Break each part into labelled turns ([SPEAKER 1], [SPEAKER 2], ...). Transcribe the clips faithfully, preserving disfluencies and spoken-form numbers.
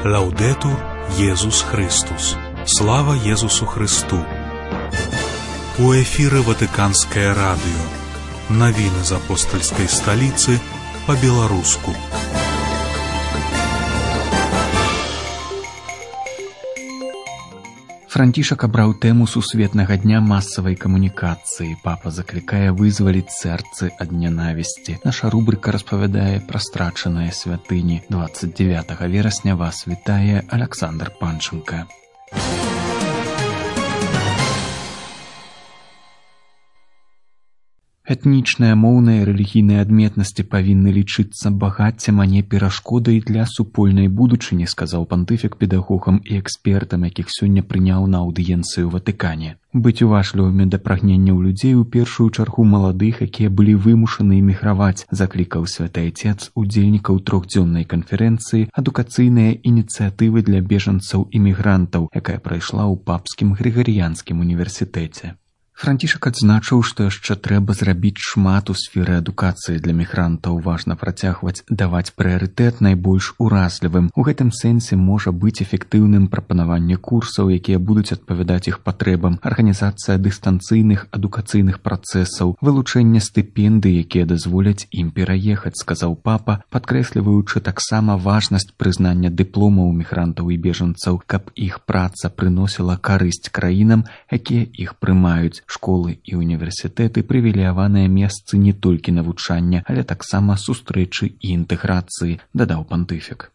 [SPEAKER 1] Лаудетур Єсус Христос. Слава Єсусу Христу. У эфире Ватиканское радио. Новины из апостольской столицы по-белорусски.
[SPEAKER 2] Францішак абраў тэму сусветнага дня масавай камунікацыі. Папа заклікае вызваліць сэрцы ад нянавісці. Наша рубрыка распавядае пра страчаныя святыні. двадцать девятого верасня вас вітае Александр Панченко. Этнічныя, моўныя і рэлігійныя адметнасці павінны лічыцца багаццем, а не перашкодай для супольнай будучыні, сказаў пантыфік педагогам і экспертам, якіх сёння прыняў на аўдыенцыю ў Ватыкане. Быць уважлівымі да прагненняў людзей, у першую чаргу маладых, якія былі вымушаны эміграваць, заклікаў святы Отец удзельнікаў трохдзённай канферэнцыі «Адукацыйныя ініцыятывы для бежанцаў-імігрантаў», якая прайшла ў Папскім Грыгарыянскім універсітэце. Францішак адзначыў, што яшчэ трэба зрабіць шмат у сферы адукацыі для мігрантаў. Важна працягваць даваць прыярытэт найбольш уразлівым. У гэтым сэнсе можа быць эфектыўным прапанаванне курсаў, якія будуць адпавядаць іх патрэбам, арганізацыя дыстанцыйных адукацыйных працэсаў, вылучэнне стыпендый, якія дазволяць ім пераехаць, сказаў папа, падкрэсліваючы таксама важнасць прызнання дыпломаў мігрантаў і бежанцаў, каб іх праца прыносіла карысць краінам, якія іх прымаюць. Школы і універсітэты прывілеяваныя месцы не толькі навучання, але таксама сустрэчы і інтэграцыі, дадаў пантыфік.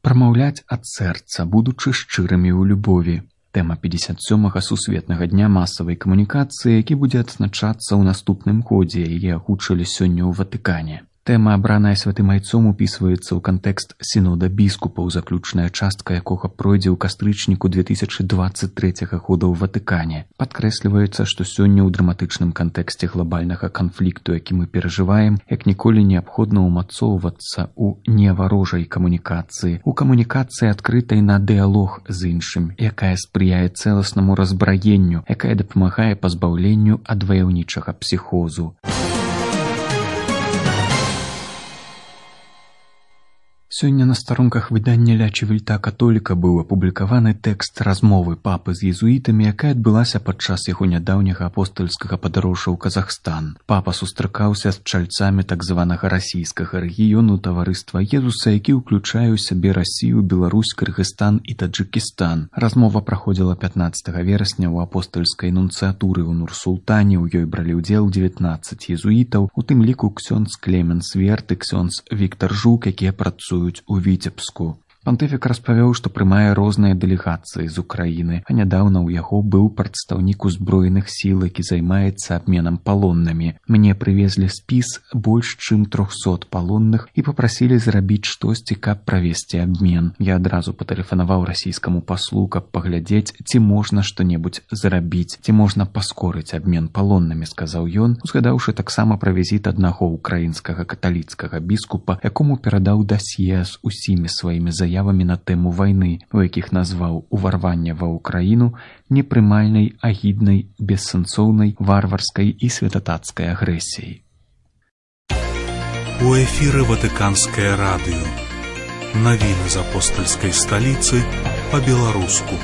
[SPEAKER 2] Прамаўляць ад сэрца, будучы шчырымі ў любові. Тэма пятьдесят сёмага сусветнага дня масавай камунікацыі, які будзе адзначацца ў наступным годзе, яе агучылі сёння ў Ватыкане. Тэма, абраная святым айцом, упісваецца ў кантэкст сінода біскупаў, заключная частка якога пройдзе ў кастрычніку две тысячи двадцать третьего года ў Ватыкане. Падкрэсліваецца, што сёння ў драматычным кантэксце глобальнага канфлікту, які мы перажываем, як ніколі неабходна ўмацоўвацца ў неварожай камунікацыі, у камунікацыі адкрытай на дыялог з іншым, якая спрыяе цэласнаму разбраенню, якая дапамагае пазбаўленню ад ваяўнічага псіхозу. Сёння на старонках выдання «Ля Чивільта католіка» быў апублікаваны тэкст размовы папы з езуітамі, якая адбылася падчас яго нядаўняга апостальскага падарожжа ў Казахстан. Папа сустракаўся з чальцамі так званага расійскага рэгіёну таварыства Езуса, які ўключае ў сябе Расію, Беларусь, Кыргызстан і Таджыкістан. Размова праходзіла пятнадцатого верасня ў апостальскай нунцыятуры ў Нур-Султане. У ёй бралі ўдзел дзевятнаццаць езуітаў, у тым ліку ксёндз Клеменс Верт і ксёндз Віктар Жук, якія працуюць у Віцебску. Пантыфік распавёў, што прымае розныя дэлегацыі з Украіны, а нядаўна ў яго быў прадстаўнік узброеных сіл, які займаецца абменам палоннымі. Мне прывезлі спіс больш чым трохсот палонных і папрасілі зрабіць штосьці, каб правесці абмен. Я адразу патэлефанаваў расійскаму паслу, каб паглядзець, ці можна што-небудзь зрабіць, ці можна паскорыць абмен палоннымі, сказаў ён, узгадаўшы таксама пра візіт аднаго ўкраінскага каталіцкага біскупа, якому перадаў дасье з усімі сваімі заявамі заявамі на тэму вайны, у якіх назваў уварванне ва ўкраіну непрымальнай, агіднай, бессэнсоўнай, варварскай і святатацкай агрэсіяй.
[SPEAKER 1] У эфіры Ватыканское радио. Новины из апостольской столицы по-белорусски.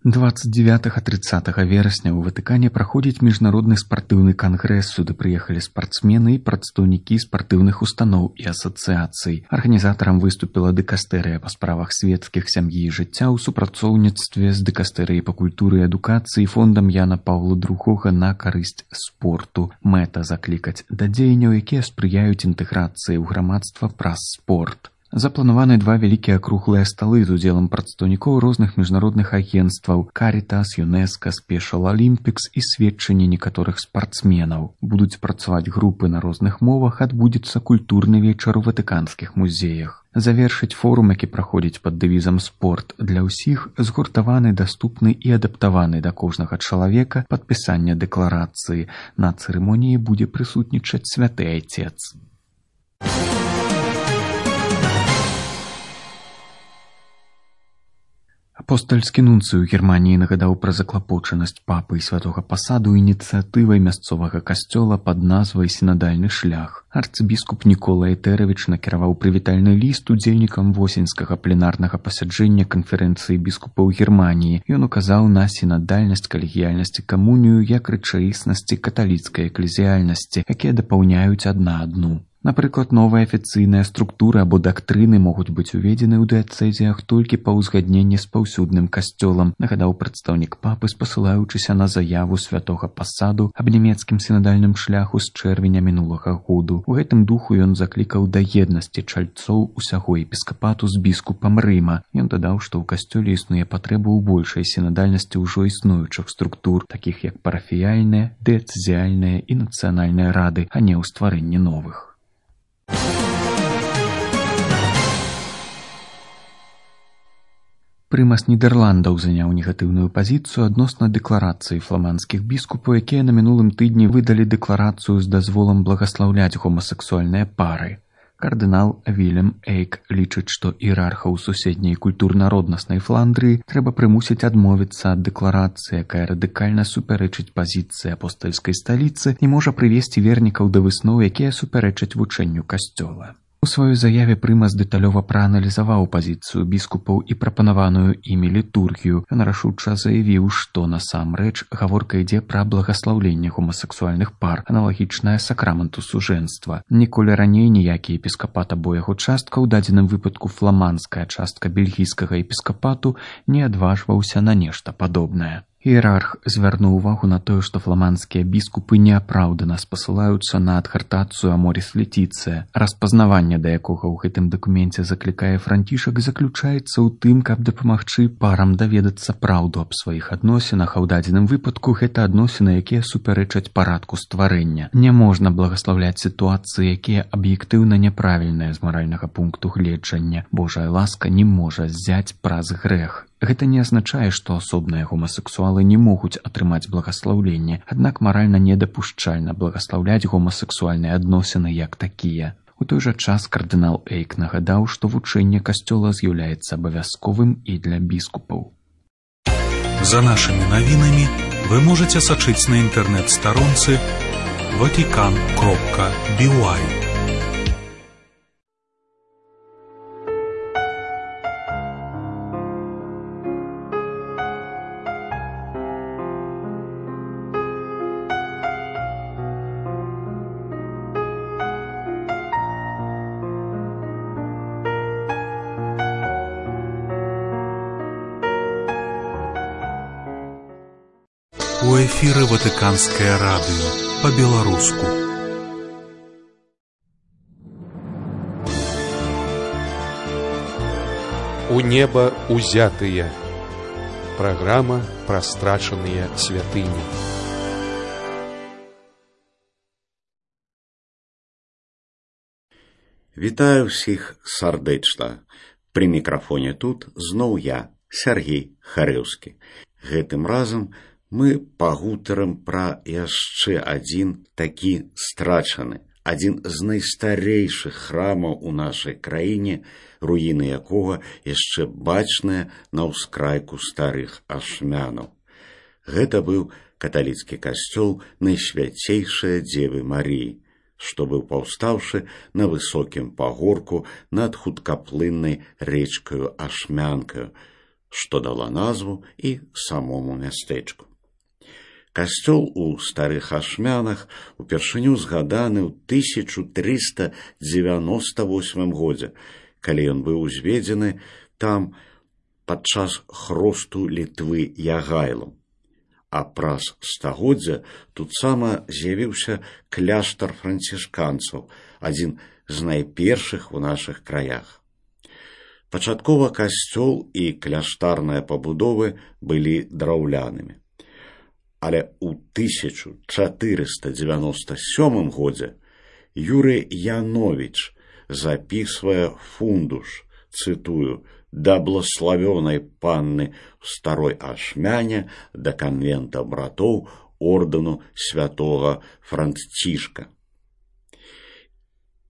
[SPEAKER 2] двадцать девятого тридцатого верасня ў Ватыкане праходзіць міжнародны спартыўны кангрэс. Сюды прыехалі спартсмены і прадстаўнікі спартыўных устаноў і асацыяцый. Арганізатарам выступіла дыкастэрыя па справах светскіх, сям'і і жыцця ў супрацоўніцтве з дыкастэрыяй па культуры і адукацыі фондам Яна Паўла другога на карысць спорту. Мэта заклікаць да дзеянняў, якія спрыяюць інтэграцыі ў грамадства праз спорт. Запланаваны два вялікія круглыя сталы з удзелам прадстаўнікоў розных міжнародных агенцтваў Карітас, ЮНЕСКО, Спешал Олімпікс і сведчанні некаторых спартсменаў. Будуць працаваць групы на розных мовах, адбудзецца культурны вечар у ватыканскіх музеях. Завершыць форум, які праходзіць пад дэвізам «Спорт для ўсіх», згуртаваны, даступны і адаптаваны да кожнага чалавека падпісання дэкларацыі. На цырымоніі будзе прысутнічаць святы Айцец. Апостальскі нунцый у Германіі нагадаў пра заклапочанасць папы і святога пасаду ініцыятывай мясцовага касцёла пад назвай «Сінадальны шлях». Арцыбіскуп Нікола Этэравіч накіраваў прывітальны ліст удзельнікам восеньскага пленарнага пасяджэння канферэнцыі біскупаў Германіі. Ён указаў на сінадальнасць, калегіяльнасць і камунію як рэчаіснасці каталіцкай эклезіяльнасці, якія дапаўняюць адна адну. Напрыклад, новыя афіцыйныя структуры або дактрыны могуць быць уведзены ў дыяцэзіях толькі па ўзгадненні з паўсюдным касцёлам, нагадаў прадстаўнік папы, спасылаючыся на заяву святога пасаду аб нямецкім сінадальным шляху з чэрвеня мінулага году. У гэтым духу ён заклікаў да еднасці чальцоў усяго епіскапату з біскупам Рыма. Ён дадаў, што ў касцёле існуе патрэба ў большай сінадальнасці ўжо існуючых структур, такіх як парафіяльныя, дыяцэзіяльныя і нацыянальныя рады, а не ў стварэнні новых. Прымас Нідерландаў заняў негатыўную пазіцыю адносна дэкларацыі фламандскіх біскупаў, якія на мінулым тыдні выдалі дэкларацыю з дазволам благаслаўляць гомасексуальныя пары. Кардынал Вільям Эйк лічыць, што іерархаў суседняй культурна-роднаснай Фландрыі трэба прымусіць адмовіцца ад дэкларацыі, якая радыкальна супярэчыць пазіцыі апостальскай сталіцы і можа прывесці вернікаў да высноў, якія супярэчаць вучэнню касцёла. У сваёй заяве прымас дэталёва прааналізаваў пазіцыю біскупаў і прапанаваную імі літургію. Ён рашуча заявіў, што насамрэч гаворка ідзе пра благаслаўленне гомасексуальных пар, аналагічнае сакраменту сужэнства. Ніколі раней ніякі епіскапат або яго частка, у дадзеным выпадку фламандская частка бельгійскага епіскапату, не адважваўся на нешта падобнае. Іерарх звярнуў увагу на тое, што фламандскія біскупы неапраўдана спасылаюцца на адхартацыю Аморіс Летіцыя. Распазнаванне, да якога ў гэтым дакуменце заклікае Францішак, заключаецца ў тым, каб дапамагчы парам даведацца праўду аб сваіх адносінах, а ў дадзеным выпадку гэта адносіны, якія супярэчаць парадку стварэння. Не можна благаслаўляць сітуацыі, якія аб'ектыўна няправільныя з маральнага пункту гледжання. Божая ласка не можа ззяць праз грэх. Гэта не азначае, што асобныя гомасексуалы не могуць атрымаць благаслаўленне, аднак маральна недапушчальна благаслаўляць гомасексуальныя адносіны як такія. У той жа час кардынал Эйк нагадаў, што вучэнне касцёла з'яўляецца абавязковым і для біскупаў.
[SPEAKER 1] За нашымі навінамі вы можаце сачыць на інтэрнэт-старонцы ватикан кропка би уай. У эфіры Ватыканскае радыё па-беларуску.
[SPEAKER 3] У неба узятыя. Праграма пра страчаныя святыні.
[SPEAKER 4] Вітаю ўсіх сардэчна. Пры мікрафоне тут зноў я, Сяргей Харэўскі. Гэтым разам мы пагутарым пра яшчэ адзін такі страчаны, адзін з найстарэйшых храмаў у нашай краіне, руіны якога яшчэ бачныя на ўскрайку старых ашмянаў. Гэта быў каталіцкі касцёл Найсвяцейшай Дзевы Маріі, што быў паўстаўшы на высокім пагорку над хуткаплыннай рэчкаю Ашмянкаю, што дала назву і самому мястэчку. Касцёл у старых ашмянах упершыню згаданы ў тысяча трыста дзевяноста восьмым годзе, калі ён быў узведзены там падчас хросту Літвы Ягайлам. А праз стагоддзя тут сама з'явіўся кляштар францішканцаў, адзін з найпершых у нашых краях. Пачаткова касцёл і кляштарныя пабудовы былі драўлянымі. Але ў тысяча чатырыста дзевяноста сёмым годзе Юрый Яновіч запісвае фундуш, цытую, «да блаславёнай панны в старой Ашмяне да канвента братоў ордэну святога Францішка».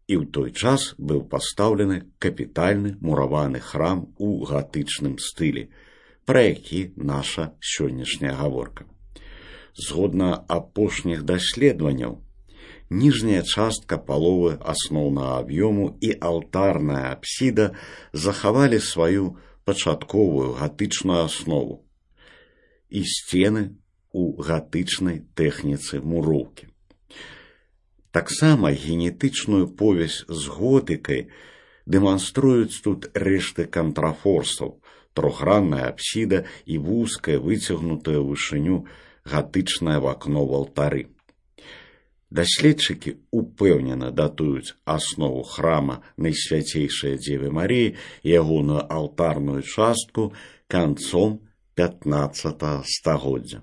[SPEAKER 4] І ў той час быў пастаўлены капітальны мураваны храм у гатычным стылі. пра які наша сённяшняя гаворка. Згодна апошніх даследаванняў, ніжняя частка паловы асноўнага аб'ёму і алтарная апсіда захавалі сваю пачатковую гатычную аснову і сцены у гатычнай тэхніцы муроўкі. Таксама генетычную повязь з готыкай дэманструюць тут рэшты кантрафорсаў, трохгранная апсіда і вузкая выцягнутая ў вышыню гатычнае вакно ў алтары. Даследчыкі упэўнена датуюць аснову храма Найсвяцейшай Дзевы Марыі і ягоную алтарную частку канцом пятнаццатага стагоддзя.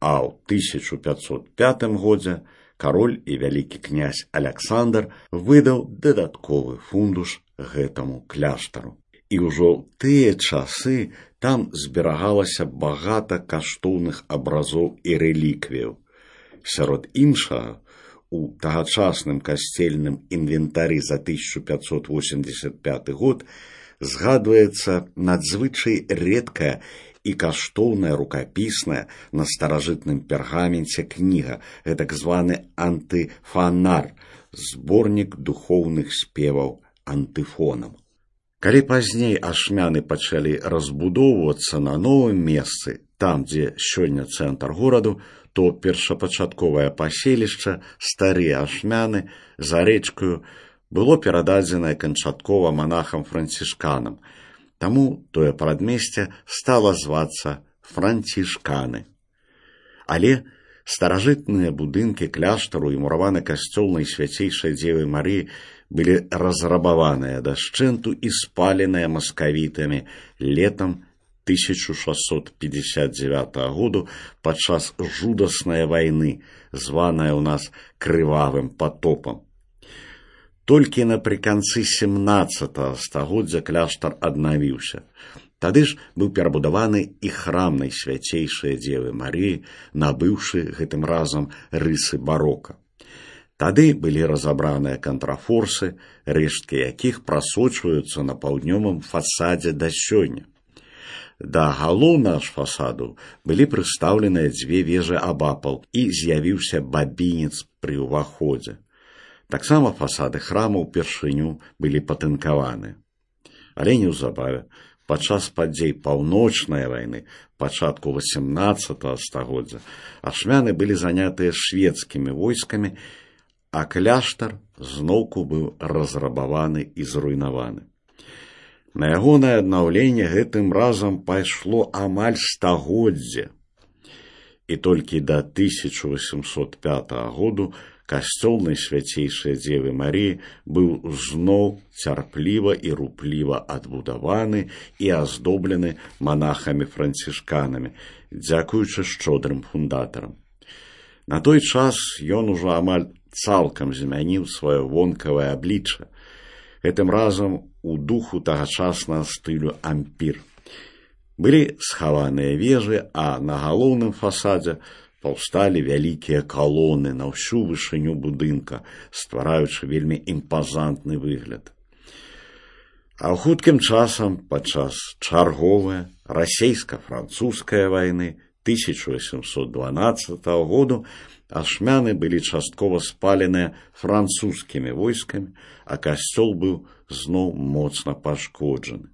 [SPEAKER 4] А ў тысяча пятьсот пятым годзе кароль і вялікі князь Аляксандр выдаў дадатковы фундуш гэтаму кляштару. І ўжо ў тыя часы там зберагалася багата каштоўных абразоў і рэліквіяў. Сярод іншага, у тагачасным касцельным інвентары за тысяча пятьсот восемьдесят пяты год згадваецца надзвычай рэдкая і каштоўная рукапісная на старажытным пергаменце кніга, гэтак званы антыфанар, зборнік духоўных спеваў антыфонам. Калі пазней ашмяны пачалі разбудоўвацца на новым месцы, там, дзе сёння цэнтр гораду, то першапачатковае паселішча, старыя ашмяны, за рэчкаю, было перададзенае канчаткова монахам-францішканам, таму тое прадмесце стала звацца францішканы. Але старажытныя будынкі кляштару і мураваны касцёл Найсвяцейшай Дзевы Марыі былі разрабаваныя дашчэнту і спаленыя маскавітамі летам тысяча шестьсот пятьдесят девятого году падчас жудаснай вайны, званая ў нас крывавым потопам. Толькі напрыканцы семнаццатага стагоддзя кляштар аднавіўся. Тады ж быў перабудаваны і храм Найсвяцейшай Дзевы Марыі, набыўшы гэтым разам рысы барока. Тады былі разабраныя кантрафорсы, рэшткі якіх прасочваюцца на паўднёвым фасадзе да сёння. Да галоўнага ж фасаду былі прыстаўленыя дзве вежы абапал і з'явіўся бабінец пры ўваходзе. Таксама фасады храма ўпершыню былі патынкаваны. Але неўзабаве, падчас падзей паўночнай вайны, пачатку васемнаццатага стагоддзя, ашмяны былі занятыя шведскімі войскамі, а кляштар зноўку быў разрабаваны і зруйнаваны. На ягонае аднаўленне гэтым разам пайшло амаль стагоддзе. І толькі да тысяча восемьсот пятого году касцёл Найсвяцейшай Дзевы Марыі быў зноў цярпліва і рупліва адбудаваны і аздоблены монахамі-францішканамі, дзякуючы шчодрым фундатарам. На той час ён ужо амаль цалкам змяніў сваё вонкавае аблічча, гэтым разам у духу тагачаснага стылю ампір. Былі схаваныя вежы, а на галоўным фасадзе паўсталі вялікія калоны на ўсю вышыню будынка, ствараючы вельмі імпазантны выгляд. А ў хуткім часам, падчас чарговай расейска-французскай вайны тысяча восемьсот дванаццатого году, ашмяны былі часткова спаленыя французскімі войскамі, а касцёл быў зноў моцна пашкоджаны.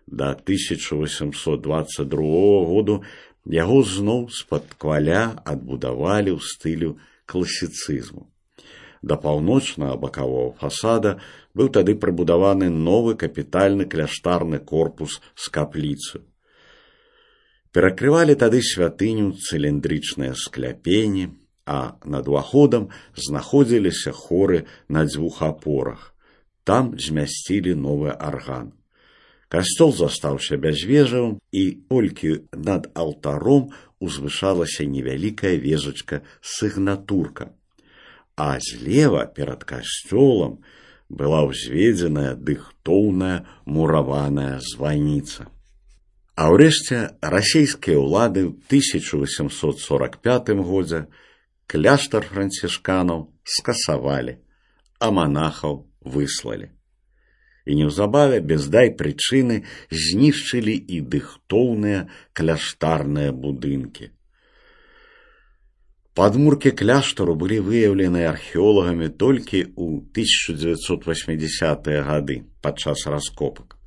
[SPEAKER 4] Да тысяча восемьсот двадцать другого году яго зноў з-пад кваля адбудавалі ў стылю класіцызму. Да паўночнага бакавога фасада быў тады прыбудаваны новы капітальны кляштарны корпус з капліцаю. Перакрывалі тады святыню цыліндрычныя скляпені, а над уваходам знаходзіліся хоры на дзвюх апорах. Там змясцілі новы арган. Касцёл застаўся бязвежавым, і толькі над алтаром узвышалася невялікая вежачка сігнатурка, а злева перад касцёлам была ўзведзеная дыхтоўная мураваная званіца. А ўрэшце расійскія ўлады ў тысяча восемьсот сорок пятым годзе кляштар францішканаў скасавалі, а монахаў выслалі. І неўзабаве без дай прычыны знішчылі і дыхтоўныя кляштарныя будынкі. Падмуркі кляштару былі выяўлены археолагамі толькі ў тысяча дзевяцьсот восьмідзясятыя гады падчас раскопак.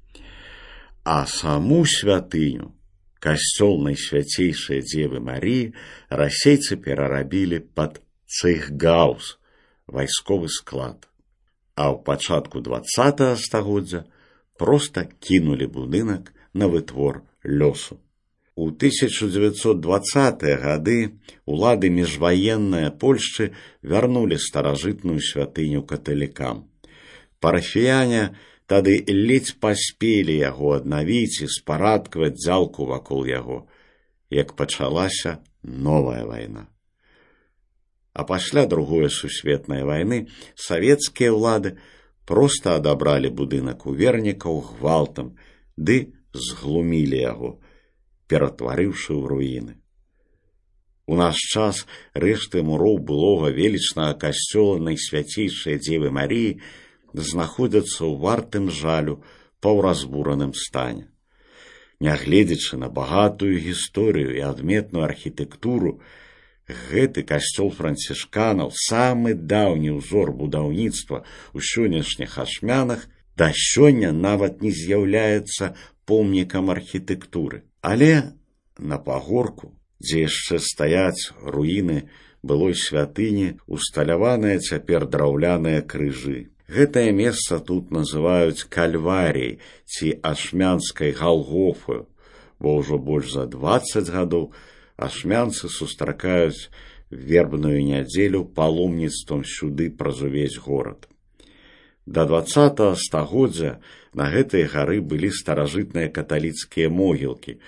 [SPEAKER 4] А саму святыню, касцёл Найсвяцейшай Дзевы Маріі, расейцы перарабілі пад цейхгаус, вайсковы склад. А ў пачатку дваццатага стагоддзя проста кінулі будынак на вытвор лёсу. У тысяча дзевяцьсот дваццатыя гады улады міжваенныя Польшчы вярнулі старажытную святыню каталікам. Парафіяне тады ледзь паспелі яго аднавіць і спарадкаваць дзялку вакол яго, як пачалася новая вайна. А пасля Другой сусветнай вайны савецкія ўлады проста адабралі будынак у вернікаў гвалтам ды зглумілі яго, ператварыўшы ў руіны. У наш час рэшты муроў былога велічнага касцёла Найсвяцейшай Дзевы Маріі знаходзяцца ў вартым жалю паўразбураным стане. Нягледзячы на багатую гісторыю і адметную архітэктуру, гэты касцёл францішканаў, самы даўні ўзор будаўніцтва ў сённяшніх Ашмянах, да сёння нават не з'яўляецца помнікам архітэктуры. Але на пагорку, дзе яшчэ стаяць руіны былой святыні, усталяваныя цяпер драўляныя крыжы. Гэтае месца тут называюць кальваріяй ці ашмянскай галгофаю, бо ўжо больш за дваццаць гадоў ашмянцы сустракаюць вербную нядзелю паломніцтвам сюды праз увесь горад. Да дваццатага стагоддзя на гэтай гары былі старажытныя каталіцкія могілкі,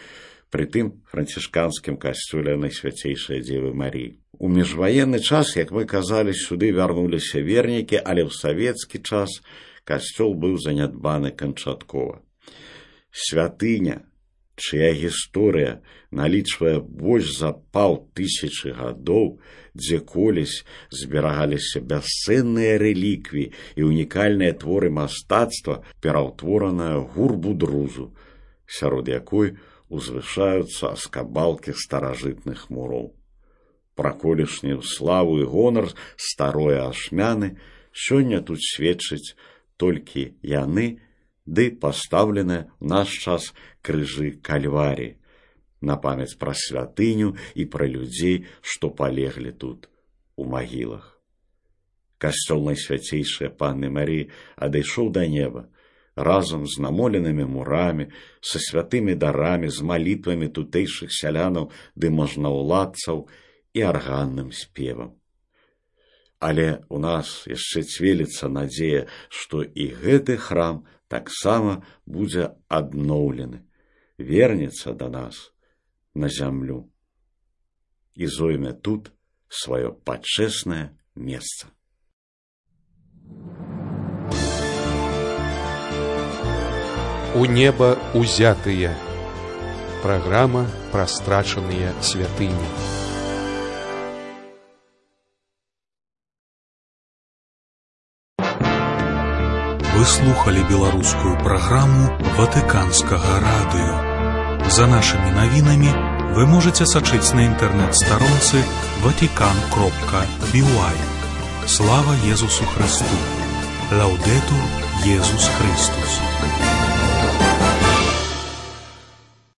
[SPEAKER 4] прытым францішканскім касцёле Найсвяцейшай Дзевы Маріі. У міжваенны час, як мы казалі, сюды вярнуліся вернікі, але ў савецкі час касцёл быў занядбаны канчаткова. Святыня, чыя гісторыя налічвае больш за паўтысячы гадоў, дзе колісь зберагаліся бясцэнныя рэліквіі і унікальныя творы мастацтва, пераўтвораная гурбу-друзу, сярод якой узвышаюцца аскабалкі старажытных муроў. Пра колішнюю славу і гонар старое Ашмяны сёння тут сведчыць толькі яны, ды пастаўленыя ў наш час крыжы кальваріі, на памяць пра святыню і пра людзей, што палеглі тут у магілах. Касцёл Найсвяцейшай Панны Маріі адышоў да неба, разам з намоленымі мурамі, са святымі дарамі, з малітвамі тутэйшых сялянаў ды можнаўладцаў і арганным спевам. Але ў нас яшчэ цвеліцца надзея, што і гэты храм таксама будзе адноўлены, вернецца да нас на зямлю і зойме тут сваё пачэснае месца.
[SPEAKER 3] У неба узятыя. Праграма пра страчаныя святыні.
[SPEAKER 1] Вы слухали беларускую праграму Ватыканскага радыё. За нашымі навінамі вы можаце сачыць на інтэрнэт-старонцы ватикан кропка би уай. Слава Езусу Христу! Лаудетур Езус Христус!